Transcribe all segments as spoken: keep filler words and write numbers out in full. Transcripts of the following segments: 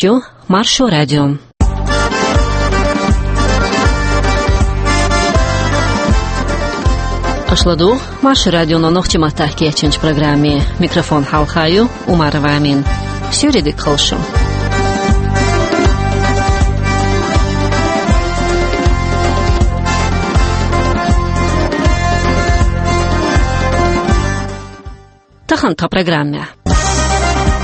Шу Маршо радио. Аша ладугӀу Маршо радионо нохчийн маттахь кечйинчу программе. Микрофон хьалха ю Умарова Амина. Суьйре дика хуьлда шу. Тахана тхан программехь.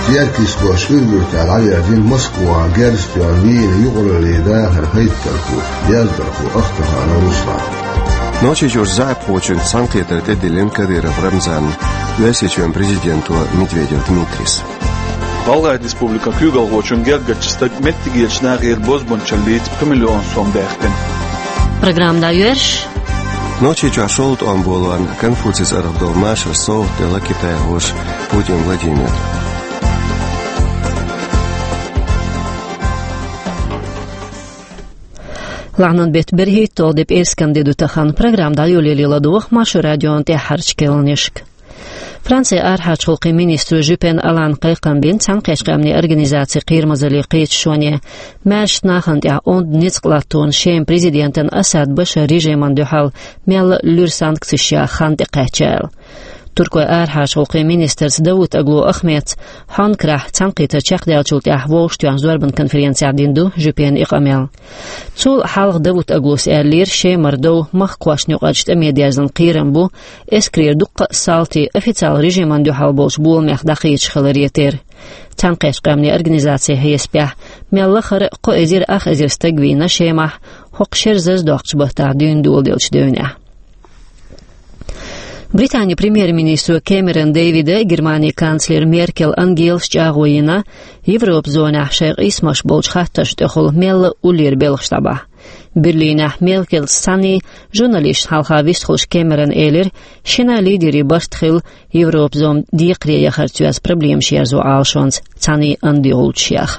Теркйист кхоьш Уьргуьртара дӀаверзина Москвахь герз тоьхна вийна юкъараллин дахаран хӀайттархо, яздархо Ахтаханов Руслан. Нохчийчуьра заьӀапхочуьнца цхьаьнакхетар тӀедиллина Кадыров Рамзанна Оьрсийчоьнан президенто Медведев Дмитрийс. ГӀалгӀайн республикан куьйгалхочун гергарчу стага меттигерчу нахера бозбуунчаллица пхи миллион сом баьккхина. Программа дӀайоьрзуш. Нохчийчохь шолгӀа тӀом болорна Конфуцийс арахь долу машаран совгӀат делла китайхоша Путин Владимира. Лахьанан беттан берхӀитталгӀа де, пӀераскан де ду тахана. Программа дӀайолале ладогӀа Маршо радион тӀаьххьарчу кхаьънашка. Францин арахьарчу гӀуллакхийн министро Жюпен Алана кхайкхам бина Цхьаьнакхеттачу Къаьмнийн Организацин Кхерамазаллин кхеташоне, маьршачу нахана тӀехь онда ницкъ латтош шен президентан Асад Башаран режимна дуьхьал мелла а луьра санкцеш яха хан тӀекхаьчна аьлла. Туркойн арахьарчу гӀуллакхийн министрца Давутоглу Ахмедца Хьонкарахь цхьаьнакхетар чекхдаьллачул тӀаьхьа вовшахтоьхначу зорбанан конференцехь дина ду Жюпена и къамел. Цул хьалха Давутоглус аьллера, Шемара дов махкахошна юкъарчу тӀаме дерзан кхерам бу, эскарера дуккха а салтий официалан режимна дуьхьал болчу боламех дӀакхеташ хиларе терра. Цхьаьнакхеттачу Къаьмнийн Организацин хьесапехь, мел лахара а кхо эзар ах эзар стаг вийна Шемахь, хӀокху шеран зазадоккхучу баттахь дуьйна доладеллачу девнехь. Британин премьер-министро Кэмерон Дэвида а, Германин канцлера Меркел Ангелас а чӀагӀо йина, Европан зонехь шайн къийсамаш болчу хаттаршна тӀехула мелла а уллера белхаш дӀабахьа. Берлинехь Меркелца цхьаьний журналисташна хьалха вистхуьлуш Кэмерона элира, шина лидерийн барт хилла Европан зама декхаре яхарца йоьзна проблемаш ерзо Ӏалашонца цхьаьний андогӀучу шех.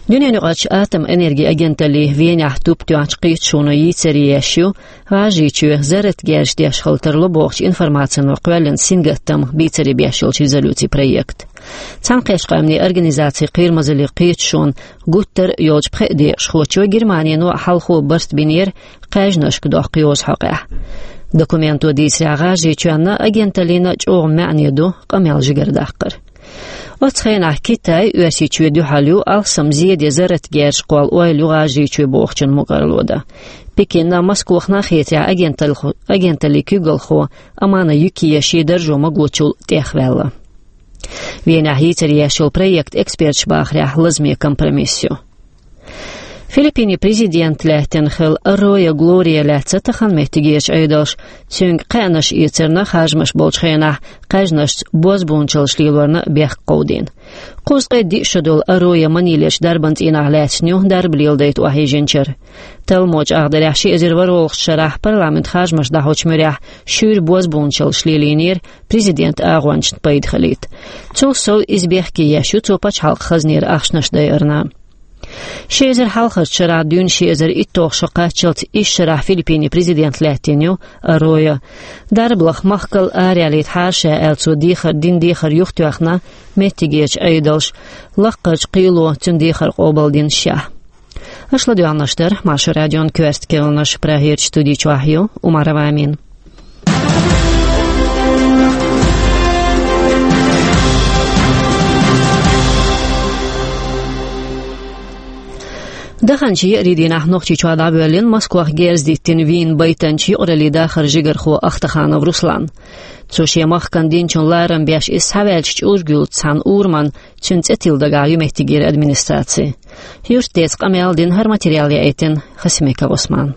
Дуьненаюкъарчу атомэнергин агенталлин Венехь туп тоьхначу кхеташоно йийцаре еш ю ГӀажарийчоь зарратан герзаш деш хила тарло бохучу информацино кхоьллина сингаттам бийцаре беш йолчу резолюцин проект. Цхьаьнакхеттачу Къаьмнийн Организацин Кхерамазаллин кхеташонан гуттар а йолчу пхеа декъашхочо Германино а хьалхо барт бинера кхаьжнашка доккху йоза хьокъехь. Документо дийцарехь, ГӀажарийчоьнна а, агенталлина а чӀогӀа маьӀне ду къамел жигара даккхар. Оццу хенахь Китай Оьрсийчоьнна дуьхьал ю алсам зеде зарратан герзаш кхолла ойла ю ГӀажарийчоь бохучун мукӀарло дан. Пекинна а, Москвахна а хетарехь агенталлин куьйгалхо Амана Юкия шен даржо магочул тӀехваьлла. Венехь йийцаре еш йолу проект, эксперташа бахарехь, лазаме компромисс ю. Филиппинийн президент лаьттина хилла Арроя Глория лаьцна тахана меттигерчу Ӏедалша цуьнга кхаьънаш эцарна харжамаш болчу хенахь кхаьжнашца бозбуунчаллаш лелорна бехк кховдийна. Кхузткъе диъ шо долу Арроя Манилерчу дарбан цӀийнахь лаьцна ю, дарба леладайта охьайижинчара. Талламо чӀагӀдарехь, ши эзар ворхӀалгӀачу шарахь парламентан харжамаш дӀахьочу муьрехь шуьйра бозбуунчаллаш лелийнера президентан агӀончашна пайда хилийта. Цул сов иза бехке еш ю цо пачхьалкхан хазнера ахчанаш дайарна. Ши эзар хьалхарчу шарахь дуьйна ши эзар итталгӀа шо кхаччалц исс шарахь Филиппинийн президент лаьттина ю Арроя. Дарба лаха махкал араяьллийта хьара ша аьлла цо дехар, дина дехар юхатоьхна меттигерчу Ӏедалша, лаккхарчу кхело цуьнан дехар къобалдина шех. Аша ладоьгӀнарш дара Маршо радион коьрта кхаьънаш. Прагерчу студи чохь ю Умарова Амина. Даханчу еарин дийнахь Нохчийчохь дӀавоьллина Москвахь герз диттина вийна байтанчу юкъараллин дахаран жигархо Ахтаханов Руслан. Цо шен махкана динчун ларам беш, иза схьаваьллачу чӀурга юьллучу цхьана урамна цуьнан цӀе тилла дагахь ю меттигера администраци. Юьртдеца къамел дина, хӀара материал яийтина Хасимиков Ӏусмана.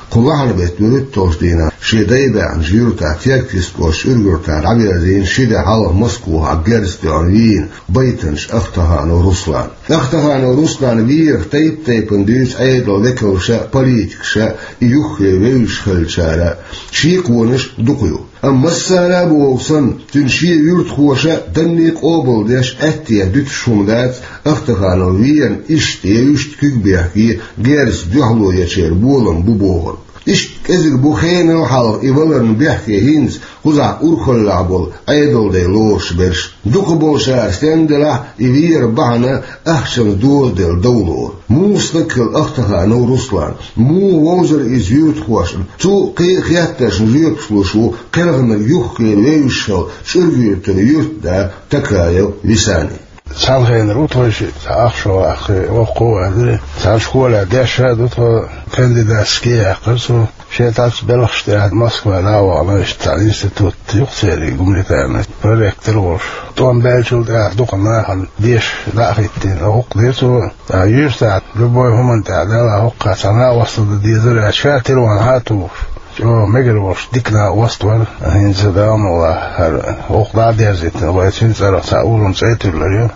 Кху лахьанан беттан вуьрхӀитталгӀачу дийнахь шен дай баьхначу юьртахь Теркйист кӀоштан Уьргуьртара дӀавирзина ши де хьалха Москвахь герз тоьхна вийна байтанчу Ахтаханов Руслан. Ахтаханов Руслан верах тайп-тайпана дуьйцу Ӏедалан векалша а, политикаша а, и юххе вевзаш хиллачара а. Шеконаш дукха ю. Амма массара а бохург санна, цуьнан шен юьртахоша данне къобалдеш, аьттехьа дуьтуш хӀума дац, Ахтаханов верна иштта я иштта куьг бехке, герзаца дуьхьало ечеран болам бу бохург. Иштта кӀезиг бу хенал хьалха и валарна бехке хӀинца кхузахь урхаллехь болу Ӏедалдайн лоруш берш. Дукхахболчара стенна делахь а, и вер бахьана ахчанца дозаделла дов лору. Муха стаг хилла Ахтаханов Руслан? Муха вовзара иза юьртахошна? Цу кхин а хеттаршна жоьпаш луш ву кхелхинарг юххера вевзаш хилла Чуьрга-Юьртара юьртда Такаев Висани. Цхьана хенара ву тхо шиъ, цхьа ах шо ваккхий, воккха а ваьзира. Цхьана школехь дешша а ду тхо, кандидатский яьккхира цо. Шен тӀаккха белхаш тӀехь Москва дӀа а вахана, иштта цхьана институт ю-кх церан гуманитарный, проректор волуш. ТӀом баьллачул тӀаьхьа дукха нахана деша дӀа а хӀиттийна, гӀуллакх дира цо. Ткъа юьртахь любой хӀуманна тӀехь Далла хӀокху цхьа накъост дан дезара аьлла, ша телефон хьа а тухуш, чӀогӀа мегар волуш дика накъост вара. ХӀинца Дала мукъ лахь, хӀара гӀуллакх дӀа а дерзийтина, вай цуьнан цӀарах цхьа уллун цӀе а туьллур ю.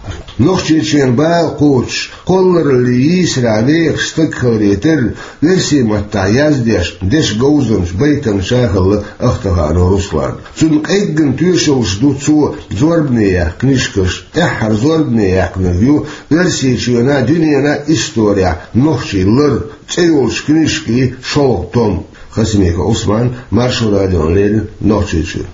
Нохчийчоьнан бала кхочуш, кхоллараллин йийсарехь вехаш стаг хиларе терра, оьрсийн маттахь яздеш дешан говзанча, байтанча ша хилла Ахтаханов Руслан. Цунна къеггина тоьшаллаш ду цо зорбане яьккхина книжкаш. ТӀаьххьара зорбане яьккхинарг ю «Оьрсийчоьнан, дуьненан исторехь нохчийн лар» цӀе йолчу книжкин шолгӀа том. Хасимиков Ӏусман, Маршо радиона леррина, Нохчийчуьра.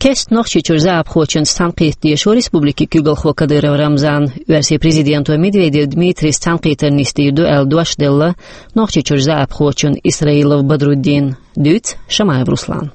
Кеста Нохчийчуьра заьӀапхочуьнца цхьаьнакхетта дешо республикин куьйгалхо Кадыров Рамзан. Оьрсийн президенто Медведев Дмитрийс цхьаьнакхетар нисдийр ду аьлла дош делла Нохчийчуьра заьӀапхочунна Исраилов Бадруддина. Дуьйцу Шамаев Руслана.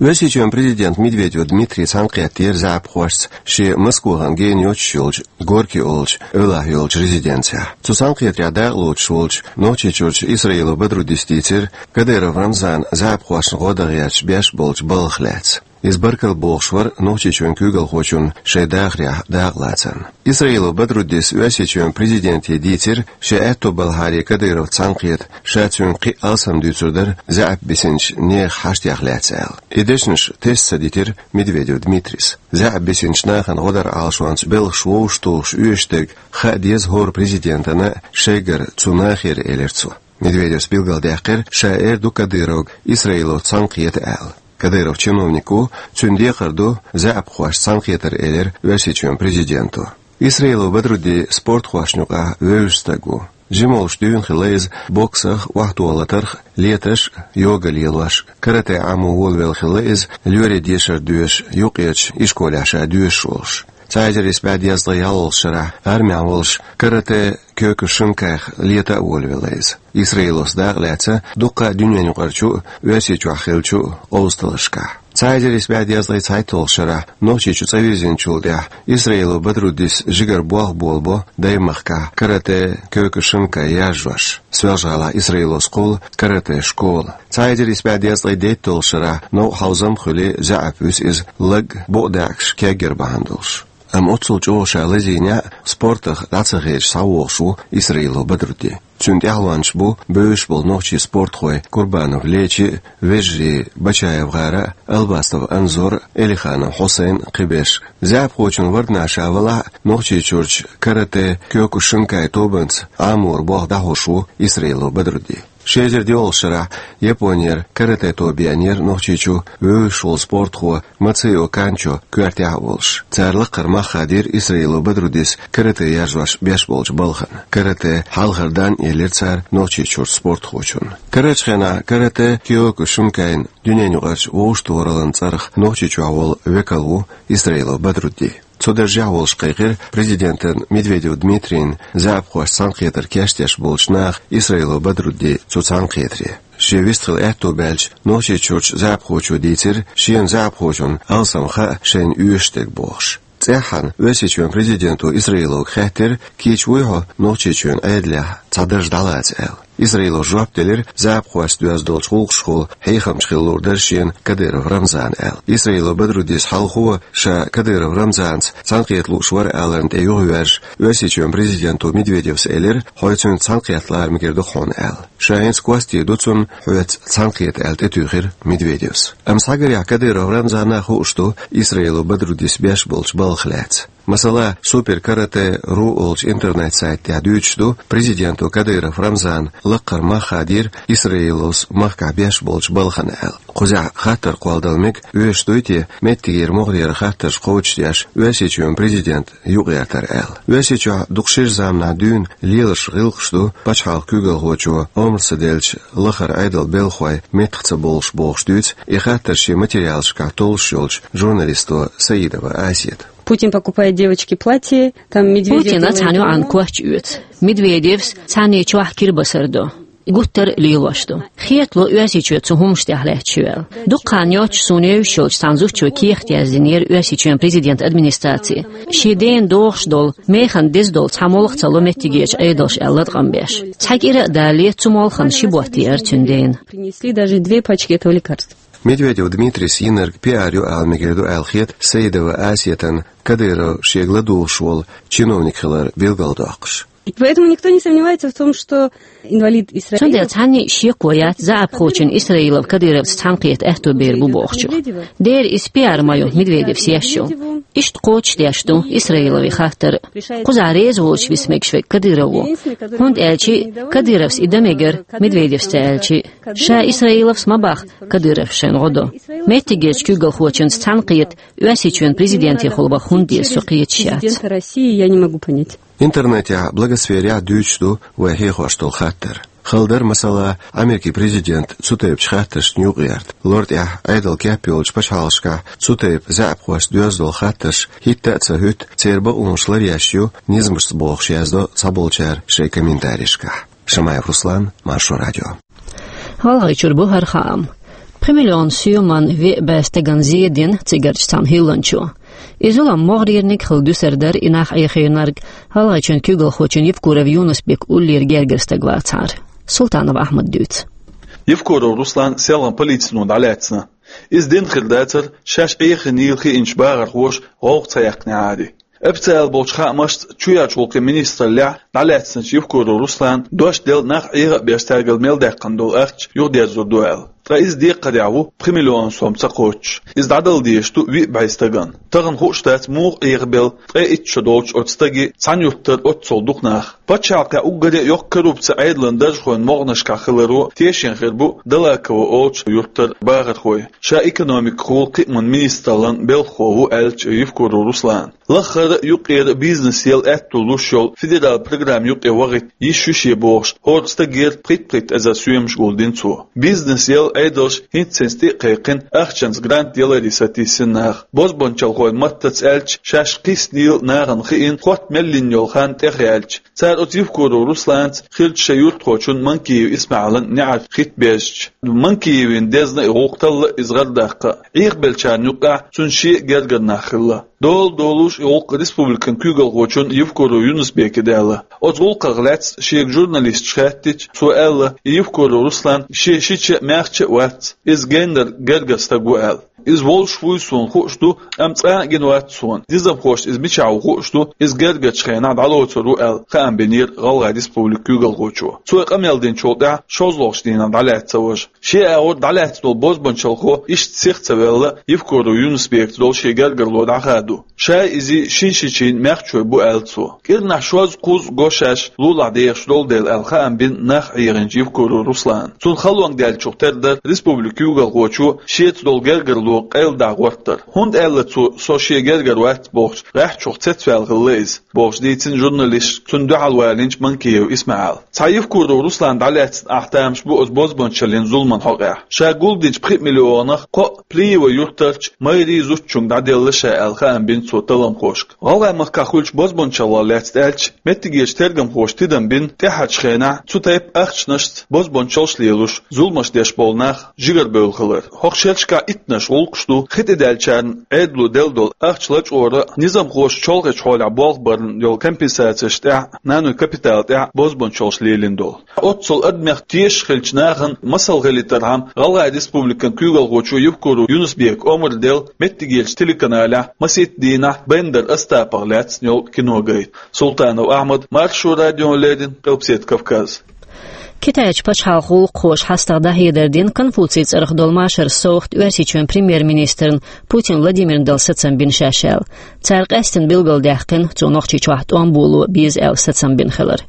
Оьрсийчоьнан президент Медведев Дмитрий цхьаьнакхеттера заьӀапхошца шен Москвахана гена йоцуш йолчу Горький олучу эвлахь йолчу резиденцехь. Цу цхьаьнакхетарехь дакъалоцуш волчу Нохчийчуьрчу Исраилов Бадруддис дийцира Кадыров Рамзана заьӀапхошна гӀо дан гӀерташ беш болчу балхах лаьцна. Иза баркалла бохуш вара Нохчийчоьнан куьйгалхочунна шайн дахарехь дакъалацарна. Исраилов Бадруддис Оьрсийчоьнан президенте дийцира, шен аьтто балхьара Кадыровца цхьаьнакхета, ша цуьнга кхин а алсам дуьйцур дара заьӀап бисинчу нехан хьаштех лаьцна аьлла. И дешнаш тесна ца дитира Медведев Дмитрийс. ЗаьӀап бисинчу нахана гӀо даран Ӏалашонца белхаш вовшахтухуш оьшуш дерг хаа деза хӀора президентана а, шайгара цу нахера, элира цо. Медведевс билгалдаьккхира, ша эр ду Кадыровга Исраиловца цхьаьнакхета аьлла. Кадыров чиновник ву, цуьнан декхар ду заьӀапхошца цхьаьнакхетар, элира Оьрсийчоьнан президенто. Исраилов Бадрудди спортхошна юкъахь вевзаш стаг ву. Жималлаш дуьйна хилла иза боксах, охьатохалатарх, леташ а, йога лелош а. Карате Ӏамо волавелла хилла иза, лоьрийн дешар доьшуш, юккъерчу ишколехь ша доьшуш волуш. Цхьа эзар исс бӀе дезткъе ялхалгӀачу шарахь, армехь волуш, карате Кёкушинкайх лета а волавелла иза. Исраиловца дакъа лаьцна дуккха а дуьненаюкъарчу а, Оьрсийчохь хиллачу а къовсадаларшкахь. Цхьа эзар исс бӀе дезткъе цхьайтталгӀачу шарахь Нохчийчу цӀа вирзинчул тӀаьхьа Исраилов Бадруддис жигара болх болабо Даймахкахь карате Кёкушинкай яржош. Соьлжа-ГӀалахь Исраиловс кхуллу карате школа. Цхьа эзар исс бӀе дезткъе дейтталгӀачу шарахь новкъа хьовзам а хуьлий, заьӀап вуьсу иза, лаг а, букъ даьӀахкаш кеггар бахьана долуш. Амма оццул чӀогӀа ша лазийнехь а, спортах дӀа ца хедаш схьавогӀуш ву Исраилов Бадрудди. Цуьнан тӀаьхьалончаш бу бевзаш болу нохчийн спортхой Курбанов Лечи а, вежарий Бачаев ГӀара а, Албастов Анзор а, Элиханов Хьусайн а, кхиберш. ЗаьӀапхочун варданахь ша валахь а, Нохчийчуьрчу карате Кёкушинкай тобанца Ӏаморан болх дӀахьош ву Исраилов Бадрудди. Ши эзар диъалгӀачу шарахь Японера карате тоба еанера Нохчийчу вевзаш волу спортхо Мацио Канчо коьртехь а волуш. Цара лаккхара мах хадийра Исраилов Бадруддис карате яржош беш болчу балхана. Карате хьалхара дан а елира цара Нохчийчуьрчу спортхочунна. Карарчу хенахь карате Кёкушинкайн дуьненаюкъарчу вовшахтохараллин цӀарах Нохчийчохь волу векал ву Исраилов Бадрудди. Цу даржехь волуш кхайкхира президентан Медведев Дмитрийна заьӀапхошца цхьаьнакхетар кечдеш болчу наха Исраилов Бадрудди цу цхьаьнакхетаре. Шен вистхила аьтто баьлча, Нохчийчуьрчу заьӀапхочо дийцира, шена заьӀапхочунна алсам хаьа шайна оьшуш дерг бохуш. ЦӀеххьана Оьрсийчоьнан президенто Исраиловга хаьттира, кийча вуй хьо Нохчийчоьнан Ӏедалехь цхьа дарж дӀалаца аьлла. Исраилов жоп делира, заьӀапхошца доьзна долчу гӀуллакхашкахула хьехамча хила луур дара шена Кадыров Рамзана аьлла. Исраилов Бадруддис хьалхо, ша Кадыров Рамзанца цхьаьнакхета лууш вара аларна тӀе юхавоьрзуш, Оьрсийчоьнан президенто Медведевс элира, хьо цуьнца цхьаьнакхетта лара мегар ду хьуна аьлла. Ша хӀинца костий ду цунна, хьоьца цхьаьнакхета аьлла тӀетуьйхира Медведевс. Амма схьагарехь Кадыров Рамзана хууш ду Исраилов Бадруддис беш болчу балхах лаьцна. Масала, Супер Каратэ ру олчу интернет-сайта тӀехь дуьйцуш ду, президенто Кадыров Рамзана лакхара мах хадийра Исраилос махкахь беш болчу балхана аьлла. Кхузахь хаттар кхолладала мега, оьшуш дуй те меттигера могӀарера хаттарш кхочушдеш Оьрсийчоьнан президент юкъаертар аьлла. Оьрсийчохь дукха шира заманахь дуьйна лелаш гӀиллакхаш ду пачхьалкхан куьйгалхочо омра ца делча лахара Ӏедалан белхахой меттах ца болуш бохуш дуьйцу и хаттар шен материалашкахь толлуш йолчу журналисто Саидова Асета. Путин покупает девочке платье, там Медведев Путина делает цхьана йоӀана ремонт. Коч оьцу. Медведевс цхьана чохь кира басар до. Гуттар а лелош ду. Хетало Оьрсийчоь цу хӀуманаш тӀехь лаьтташ ю аьлла. Дукха хан йоццуш суна евзаш йолчу цхьана зудчо кехат яздинера Оьрсийчоьнан президентан администраци. Шен дена догӀуш долу, механа деза долу цхьа молха ца ло меттигерчу Ӏедалша аьлла латкъам беш. Цхьа кӀира а далале, цу молхана ши ботт еара цуьнан дена. Принесли даже две пачки этого лекарства. Медведев Дмитрийс йинарг пиар ю ала мегар ду аьлла хета Саидова Асетана Кадыров шега ладугӀуш волу чиновник хилар билгалдоккхуш. Поэтому никто не сомневается в том, что инвалид Исраилов... Цундела цхьанна а шеко яц заьӀапхочун Исраилов Кадыровца цхьаьнакхета аьтту бер бу бохучух. Дера иза пиар ма ю Медведевс еш йолу. Иштта кхочушдеш ду Исраиловн хаттар. Кхузахь реза воцуш виса мегаш верг Кадыров ву. ХӀунда аьлча Кадыровс и дан мегар, Медведевс ца аьлча. Ша Исраиловс ма боху Кадыровс шайна гӀо до. Меттигерчу куьйгалхочуьнца цхьаьнакхета Оьрсийчоьнан президентехула баха хӀунда деза со кхеташ яц. Президента России я не могу понять. Интернетехь, блогосферехь дуьйцуш ду вай хьехош долу хаттар. Хала дара, масала, Америкин президент цу тайпачу хаттаршна юкъаерта. Лор тӀехь Ӏедал кеп йолчу пачхьалкхашкахь цу тайпа заьӀапхошца доьзна долу хаттарш хӀитта а ца хӀуьтту, церан бакъонаш ларъеш ю низамашца бохуш яздо цхьаболчара шайн комментарийшкахь. Шамаев Руслан, Маршо радио. ГӀалгӀайчуьра бу хӀара хаам. Пхи миллион соьман веа бӀе стагана зе дина цигарчу цхьана хӀилланчо. И зулам могӀарерниг хила дуьсур дара и нах Ӏехийнарг ГӀалгӀайчоьнан куьйгалхочун Евкуров Юнус-Бек уллера гергара стаг вацахьара. Султанов Ахьмада дуьйцу. Евкуров Руслан селхана полицино дӀалаьцна. Иза дина хир дацара, шаьш Ӏехийнийла хиъначу бахархоша гӀовгӀа ца яьккхинехьара. Официалан болчу хаамашца, чоьхьарчу гӀуллакхийн министраллехь дӀалаьцначу Евкуров Руслана дош делла нах Ӏеха а беш, цаьргара мел даьккхина долу ахча юхадерзор ду аьлла. Ткъа иза декхарехь ву пхи миллион сом ца кхоччуш. Иза дӀадала дезаш ду виъ бӀе стагана. Тахана хууш дац муха Ӏехабелла, ткъе итт шо долчу оцу стаге цхьана юьртара оццул дукха нах. Пачхьалкхехь уггаре а йоккха коррупци Ӏедалан даржхойн могӀанашкахь хиларо тешна хир бу Далаково олучу юьртара бахархой. Ша экономикехула кхиаман министраллан белхахо ву аьллачу Евкуров Руслана. Лаххара а, юккъера а бизнес яла аьтто луш йолу федералан программа юкъе вахийта йиш ю шен бохуш, хӀора стагера пхийтта-пхийтта эзар соьмаш гулдина цо. Бизнес яла Ӏедалша хӀинца-хӀинца тӀе а кхайкхина, ахчанца грант яларе сатийсина нах. Бозбунчалхойн маттаца аьлча, шаьш кхиссинийла нахана хиъна, хотта мел йина йолу хан тӀехъяьлча, цара оцу Евкуров Русланца хиллачу шайн юьртахочун Манкиев ИсмаьӀилан неӀарш хӀитта бежча. Манкиевн дезна и гӀуллакх талла иза гӀардаккха. Ӏехабеллачарна юкъахь цуьнан шен а гергара нах хилла. Дола долуш и гӀуллакх республикан куьйгалхочун Евкуров Юнус-Бека даьлла. Оцу гӀуллакхах лаьцна шега журналисташа хаьттича, цо аьлла, и Евкуров Руслан шен шича а, маьхча а вац, иза геннара гергара стаг ву аьлла. Иза волуш вуй суна хууш ду, амма цкъа а гина вац суна. Низамхошна иза мичахь ву хууш ду, иза гергарчу хенахь дӀалоцур ву аьлла, хаам бинера ГӀалгӀайн Республикан куьйгалхочо. Цо и къамел динчул тӀаьхьа шозлагӀчу дийнахь дӀалаьцна цо важа. Шен агӀор дӀалаьцна долу бозбунчалхо иштта сиха ца ваьлла, Евкуров Юнус-Бекца долу шен гергарло дӀахаду. Шай, изий, шин шичийн маьхчой бу аьлла цо. КӀирнахь шозза-кхузза го шаьш лулахь дехаш долу дела аьлла хаам бина нах Ӏехийначу Евкуров Руслана. Цунна халонга даьллачух тера дара республикан куьйгалхочо шеца долу гергарло къайладахьа гӀортар. ХӀунда аьлла цо, со шен гергара вац бохучу гӀаьххьачух цецваьлла хилла иза, бохуш дийцина журналисташка цунна дуьхьал валийначу Манкиев ИсмаьӀила. Цхьа Евкуров Руслан дӀалаьцна ахь тамаш бу оцу бозбунчаллин зуламан хьокъехь. Ша гулдинчу пхи миллионах кхоъ Плиево юьртарчу мэрин зудчуьнга дӀаделла ша аьлла хаам бина цо талламхошка. ГӀалгӀай махкахь хуьлучу бозбунчаллах лаьцна аьлча, меттигерчу тергамхоша тидам бина, тӀаьхьарчу хенахь цу тайпа ахчанашца бозбунчаллаш лелош, зуламаш деш болу нах жигарабевлла хилар. ХӀокху шерашкахь иттанаш гӀуллакхаш ду хи тӀе даьллачарна Ӏедало делла долу ахча лачкъор а, низамхоша чолхечу хьолехь болх барна йолу компенсацеш тӀехь, нанойн капитал тӀехь бозбунчаллаш лелийна долу. Оццул адамех тешаш хиллачу нахана масал хилийтархьама, ГӀалгӀайн Республикан куьйгалхочо Евкуров Юнус-Бека омра делла меттигерчу телеканалехь масийтта дийнахь Бендер Остапах лаьцна йолу киногайта. Султанов Ахьмад, Маршо радиона леррина, Къилбаседа Кавказ. Китайчу пачхьалкхан гӀуллакххоша хьастагӀа дӀахьедар дина Конфуций цӀарах долу машаран совгӀат Оьрсийчоьнан премьер-министрна Путин Владимирна дала сацам бина шаьш аьлла. Цара къаьсттина билгалдаьккхина, цо Нохчийчохь тӀом боло беза аьлла сацам бина хилар.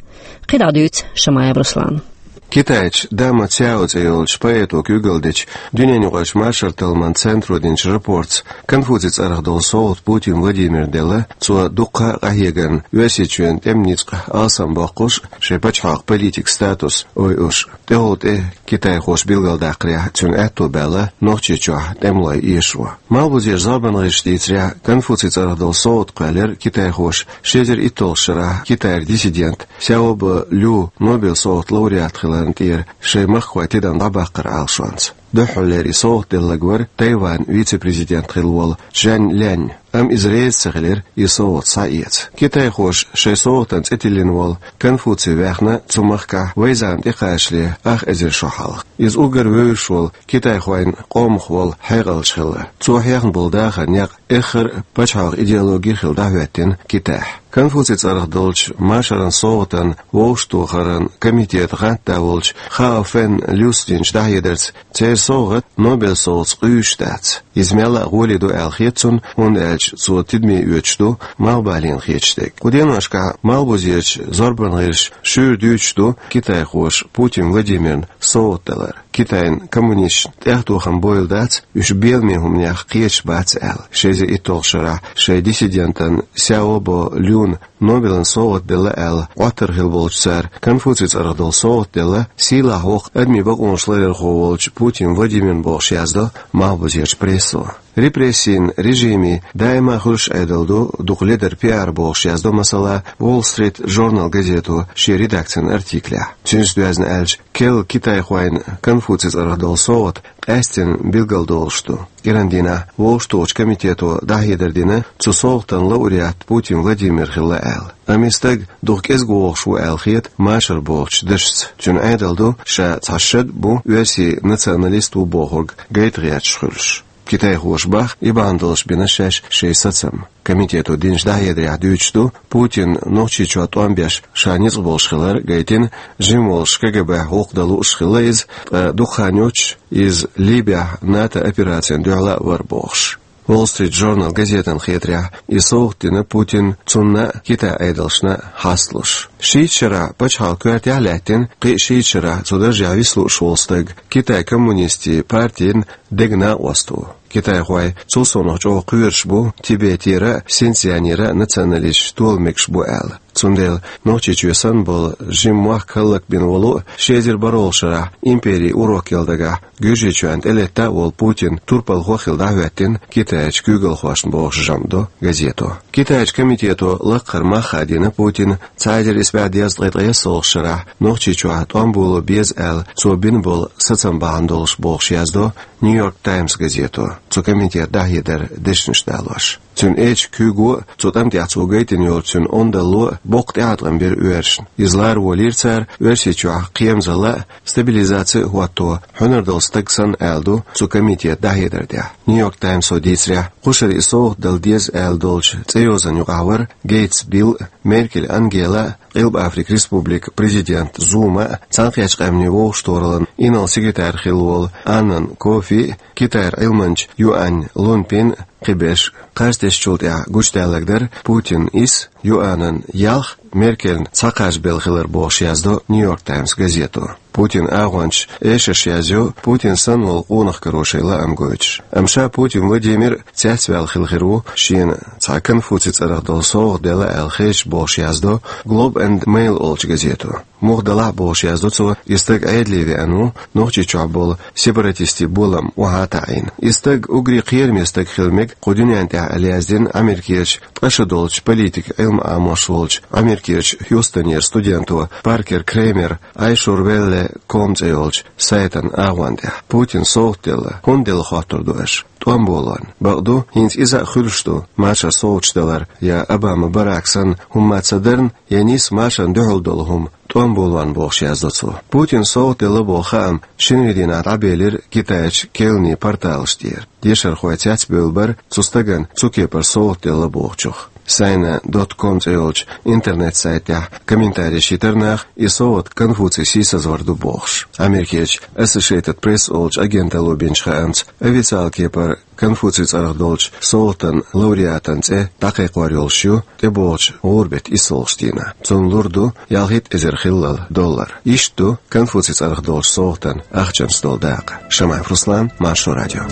КхидӀа дуьйцу Шамаев Руслана. Китайчу Дама Цяо цӀе йолчу поэто куьйгалла дечу дуьненаюкъарчу машаран талламан центро динчу рапортца Конфуций цӀарах долу совгӀат Путин Владимирна делла, цо дуккха а къахьегарна Оьрсийчоьнан тӀеман ницкъ алсамбоккхуш, шайн пачхьалкхан политикан статус ойуш. ТӀехула тӀе китайхоша билгалдаккхарехь, цуьнан аьтто баьлла Нохчийчохь тӀемалой эшаво. Малхбузерчу зорбанан гӀирсаша дийцарехь, Конфуций цӀарах долу совгӀат кхоьллира китайхоша ши эзар итталгӀачу шарахь Китайра диссидент Сяобо Лю Нобелан совгӀатан лауреат хиларна тӀера шайн махкахой тидам дӀабаккхаран Ӏалашонца. Дуьххьарлера и совгӀат делларг вара Тайванан вице-президент хилла волу Чжан Лянь, амма иза реза ца хилира и совгӀат схьаэца. Китайхоша шайн совгӀатана цӀе тиллина волу Конфуций ваьхна цу махкахь вайзана тӀекхачале ах эзар шо хьалха. Иза уггар вевзаш волу китайхойн къомах волу хьекъалча хилла. Цо хьехна болу дахаран некъ эххар а пачхьалкхан идеологи хилла дӀахӀоьттина Китайхь. Конфуций цӀарах долчу машаран совгӀатан вовшахтохаран комитетан гӀантда волчу Хао Фэн Люс динчу дӀахьедарца, церан совгӀат Нобелан совгӀатца къуьйсуш дац. Иза мелла а гӀоле ду аьлла хета цунна, хӀунда аьлча цо тидаме оьцуш ду малхбалена хеташ дерг. Кху деношкахь Малхбузерчу зорбанан гӀирсаша шуьйра дуьйцуш ду китайхоша Путин Владимирна совгӀат далар. Китайн коммунисташна тӀехтохам бойла дац, уьш беламе хӀуманех кхеташ бац аьлла. Ши эзар итталгӀачу шарахь шайн диссидентана Сяобо Люна Нобелан совгӀат делла аьлла, Ӏоттар хилла болчу цара Конфуций цӀарах долу совгӀат делла, сийлахь воккха адамийн бакъонаш ларъярхо волчу Путин Владимирна бохуш яздо Малхбузерчу прессо. Репрессийн режимийн даима хуьлуш Ӏедал ду дукха ледар пиар бохуш яздо, масала, Wall Street Journal газето шен редакцин артиклехь. Цуьнца доьзна аьлча, керла китайхойн Конфуций цӀарах долу совгӀат къаьсттина билгалдолуш ду. КӀиран дийнахь вовшахтохучу комитето дӀахьедар дина, цу совгӀатан лауреат Путин Владимир хилла аьлла. Амма и стаг дукха кӀезиг вогӀуш ву аьлла хета машар бохучу дашца. Цуьнан Ӏедал ду, ша цхьа шад бу, оьрсийн националист ву бохург гайта гӀерташ хуьлуш. Китайхоша боху, и бахьана долуш бина шаьш шайн сацам. Комитето динчу дӀахьедарехь дуьйцуш ду, Путин Нохчийчохь тӀом беш ша ницкъ болуш хилар гайтина, жима волуш КГБ-хь гӀуллакх дан лууш хилла иза, ткъа дукха хан йоццуш иза Либехь НАТО операцина дуьхьал а вара бохуш. Wall Street Journal газетана хетарехь, и совгӀат дина Путинна цунна а, Китайн Ӏедалшна а хьасталуш. Шийтта шарахь пачхьалкхан коьртехь а лаьттина, кхин а шийтта шарахь цу даржехь виса лууш волу стаг Китайн коммунистийн партин дега накъост ву. Китайхой цул совнаха чӀогӀа кхоьруш бу Тибетера а, Синьцзянера а националисташ тола мегаш бу аьлла. Цундела Нохчийчоь санна болу жима мохк хӀаллакбина волу а, ши эзар бархӀолгӀачу шарахь империн урок яла дагахь Гуьржийчоьнна тӀелетта а волу Путин турпалхо а хилла дӀахӀоьттина Китайчу куьйгалхошна бохуш жамӀ до газето. Китайчу комитето лакхара мах а дина Путинна цхьа эзар исс бӀе дезткъе ткъайоьсналгӀачу шарахь Нохчийчохь тӀом боло беза аьлла, цо бина болу сацам бахьана долуш бохуш яздо Нью-Йорк Таймс газето, цу комитетан дӀахьедаран дешнаш далош. Цуьнан эчан куьйго а, цу тӀам тӀехь цо гайтина йолчу цуьнан ондалло а боккха тӀеӀаткъам бира оьрсашна. Иза лара волийра цара Оьрсийчохь кхерамзалла а, стабилизаци а хӀотто хьуьнар долу стаг санна, аьлла ду цу комитетан дӀахьедар тӀехь. Нью-Йорк Таймсо дийцарехь, кхушара и совгӀат дала деза аьлла долчу цӀейозанна юкъахь вара Гейтс Билл а, Меркель Ангела а, Къилба Африкан Республикан президент Зума а, Цхьаьнакхеттачу Къаьмнийн Вовшахтохараллан инарла секретарь хилла волу Аннан Кофи а, Китайра Ӏилманча Юань Лунпин а, кхиберш а. Кхаж тесначул тӀаьхьа гучудаьлларг дара Путинан исс, Юанан ялх, Меркельна цхьа кхаж белла хилар бохуш яздо Нью-Йорк Таймс газето. Путинан агӀончаш эшарш язйо Путин санна волу къонах каро шайн лаам гойтуш. Амма ша Путин Владимир цецваьлла хилла хир ву, шена цхьа Конфуций цӀарах долу совгӀат делла аьлла хезча бохуш яздо Globe and Mail олучу газето. Муха далахь а бохуш яздо цо, и стаг Ӏедале веана ву, Нохчийчохь болу сепаратистийн болам охьа а таӀийна. И стаг уггаре кхераме стаг хила мега кху дуьнен тӀехь аьлла яздина Америкерчу ткъа шо долчу политикан Ӏилма Ӏамош волчу Америкерчу Хьюстонера студенто Паркер Кремера Айшур Велле ком цӀе йолчу сайтан агӀон тӀехь. Путинна совгӀат делла, хӀунда делла хоттур ду аша? ТӀом болорна. Бакъду, хӀинца иза а хуьлуш ду, машар совгӀаташ далар я Обама Барак санна хӀумма ца дарна, я нийса машарна дуьхьал долу хӀума тӀом болорна бохуш яздо цо. Путинна совгӀат делла боху хаам шинарин дийнахь дӀабелира Китайчу керланийн порталаш тӀера. Дешархой цецбевлла бара цу стагана цу кепара совгӀат делла бохучух. Сайна дот ком цӀе йолчу интернет-сайтехь комментарий йитира наха, и совгӀат Конфуций сийсазвар ду бохуш. Америкерчу Associated Press олучу агенталло бинчу хаамца, официалан кепара Конфуций цӀарах долчу совгӀатан лауреатан цӀе дӀакхайкхор йолуш ю тӀебогӀучу гӀуран беттан иссалгӀачу дийнахь. Цунна лур ду ялхитта эзар хиллал доллар. Иштта ду Конфуций цӀарах долчу совгӀатан ахчанца долу дакъа. Шамаев Руслан, Маршо радио.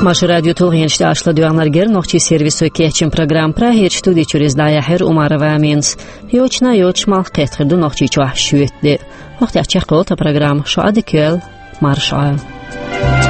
Маршо радион тулгӀенаш тӀехь аш ладоьгӀнарг яра нохчийн сервисо кечйина программа. Прагерчу студи чуьра иза дӀаяьхьира Умарова Аминас. Йочана йоцуш малх кхетта хир ду Нохчийчохь шоьтан де. ХӀокху тӀехь чекхйолу тхан программа. Шун Ӏадика йойла, марша Ӏойла.